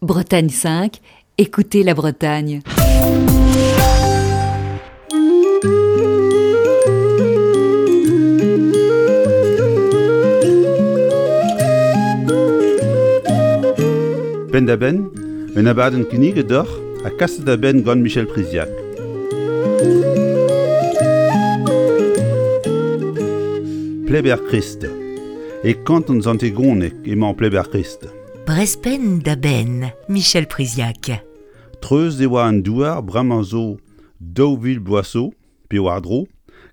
Bretagne 5, écoutez la Bretagne. Penn-da-benn, un abadenn kinniget deoc'h ha kaset da benn gant Michel Priziac. Pleber-Krist. E kanton Sant-Egoneg emañ Pleber-Krist. Brezpenn da benn, Michel Priziac. Treuz e oa an douar bremañ zo 2000 bloaz zo, pe war-dro,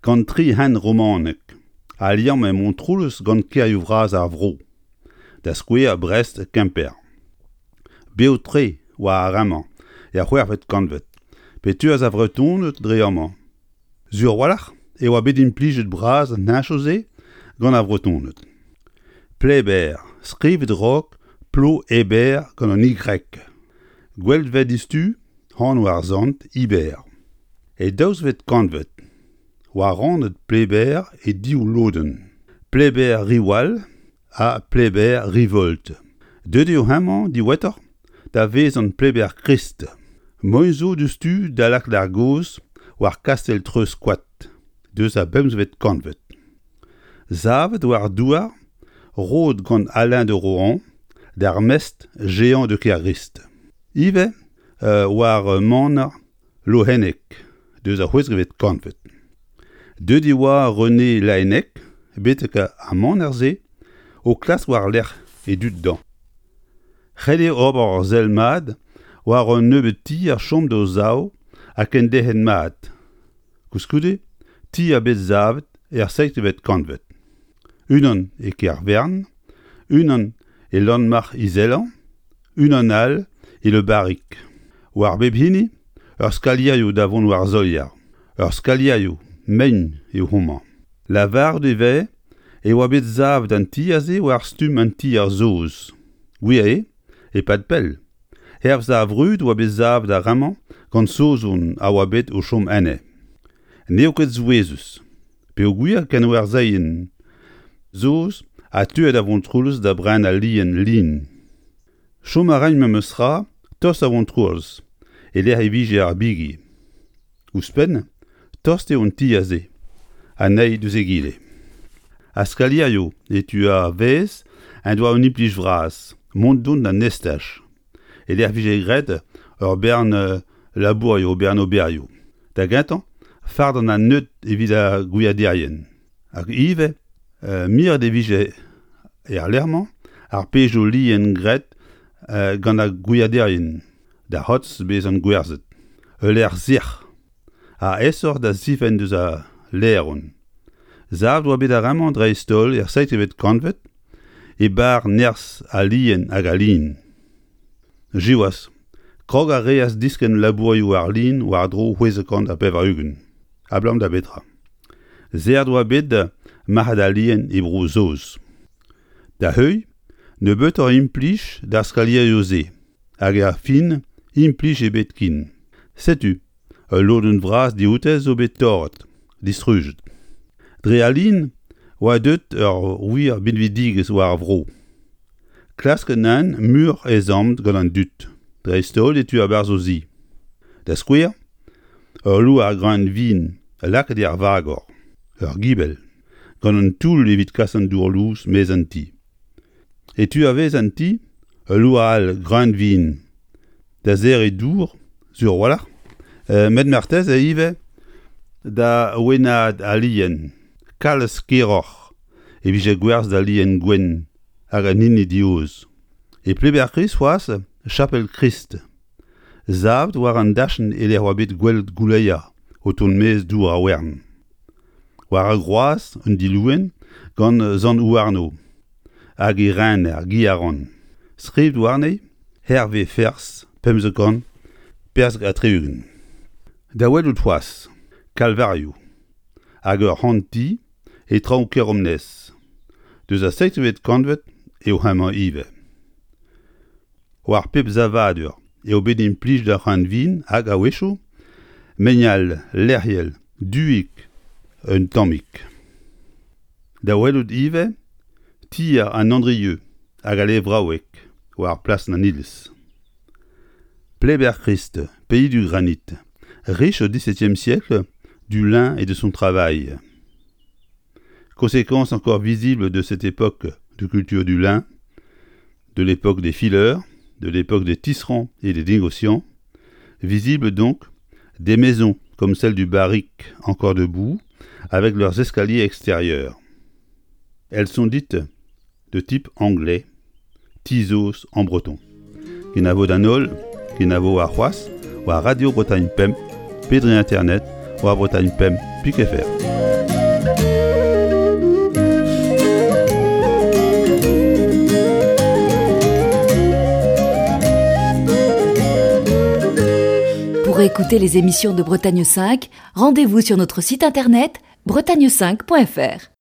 gant tri hent romanek, a liamme Montroulez gant kêrioù vras ar vro, da skouer Brest, Kemper. Bev-tre oa ar re-mañ er c'hwec'hvet kantved, pe teuas ar Vretoned dre amañ. Sur a-walc'h e oa bet implijet bras an heñchoù-se gant ar Vretoned. Pleber, skrivet raok Plo-Eber gant an Y. Gwelet 'vez diouzhtu anv ar sant Iber. E daouzvet kantved oa rannet Pleber e div lodenn, Pleber-Riwal ha Pleber-Rivolt. Deuet eo hemañ diwezhatoc'h da vezañ Pleber-Krist. Moaien zo diouzhtu da lakaat ar gaoz war kastell Treuzkoad deus ar bemzvet kantved. Savet war douar roet gant Alain de Rohan d'ar mestr Jehan de Kergrist. Ivez war maner Lohenneg deus ar c'hwezekvet kantved. Deuet e oa René Laennec betek ar maner-se o klask war-lerc'h e dud dañ. Ret eo ober ur sell mat war un nebeud tier chom d'o sav ha kenderc'het mat. Koulskoude, tier bet savet er seizhvet kantved. Unan e Kervern, unan e Lanmarc'h-Izelañ, unan all e Le Barric. War bep hini ur skalierioù da vont war solier. Ur skalierioù mein eo homañ. Lavaret e vez e oa bet savet an tier-se war stumm an tier saoz. Gwir eo, e-pad pell. Hervez ar vrud oa bet savet ar re-mañ gant Saozon a oa bet o chom enne. N'eo ket souezhus, peogwir kenwerzheien saoz a teue da Vontroulez da brenañ lien lin. Chom a raent memes tra tost da Vontroulez, e-lec'h e vije ar bigi. Ouzhpenn, tost eo an ti aze, an eil diouzh egile. Ar skalierioù e tu ar vaez en doa un implij vras, mont-dont d'an estaj, e-lec'h 'vije graet ur bern labourioù, ur bern oberioù. Da gentañ, fardañ an neud evit ar gwiaderien. Hag ivez, miret e vije er lec'h-mañ ar pezhioù lien graet gant ar gwiaderien. da c'hortoz bezañ gwerzhet. Ul lec'h sec'h ha aesoc'h da zifenn deus al laeron. Savet oa bet ar re-mañ dreist-holl er seizhvet kantved e barr nerzh al lien hag al lin. Siwazh, krog a reas diskenn labourioù ar lin war-dro 680. Abalamour da betra? Serret oa bet marc'had al lien e Bro-Saoz. Da heuilh, nebeutoc'h implij d'ar skalierioù-se. Hag er fin, implij ebet ken. Setu, ul lodenn vras dioute zo bet torret, distrujet. Dre al lin oa deuet ur wir binvidigezh war ar vro. Klask anezhañ muioc'h ezhomm gant an dud, dreist-holl e tu a-barzh o zi. Da skouer, ul loar greun vin lakaet er vagor, ur gibell, gant un toull evit kas an dour lous maez an ti. E tu a-vez an ti, ul loa all greun-vin da serriñ dour, sur a-walc'h, met marteze ivez da wennaat al lien. Kalz keroc'h e vije gwerzhet al lien gwenn hag an hini dioz. E Pleber-Krist c'hoazh, chapel Krist, savet war an dachenn e-lec'h oa bet gwelet gouleier o tont maez dour ar wern. War ar groaz, un dilouenn gant Sant Houarno hag e rener Guiaran. Skrivet warne Herve Ferzh 15 70. Da welout c'hoazh, kalvarioù hag ur c'hant-ti e traoñ Keromnes. Deus ar seizhvet kantved eo hemañ ivez. War pep savadur eo bet implijet ar c'hreunvin hag, a-wechoù, meignal lec'hiel duik un tammig. Da welout ivez tier an Andrieux hag al levraoueg war plasenn an iliz. Pleyber-Christ, pays du granit, riche au XVIIe siècle du lin et de son travail. Conséquence encore visible de cette époque de culture du lin, de l'époque des fileurs, de l'époque des tisserands et des négociants, visible donc des maisons comme celle du Barric encore debout, avec leurs escaliers extérieurs. Elles sont dites de type anglais, Tizos en breton. Kenavo d'an holl, kenavo warc'hoazh war Radio Bretagne Pemp pe dre internet war Bretagne Pemp pik fr. Pour écouter les émissions de Bretagne 5, rendez-vous sur notre site internet bretagne5.fr.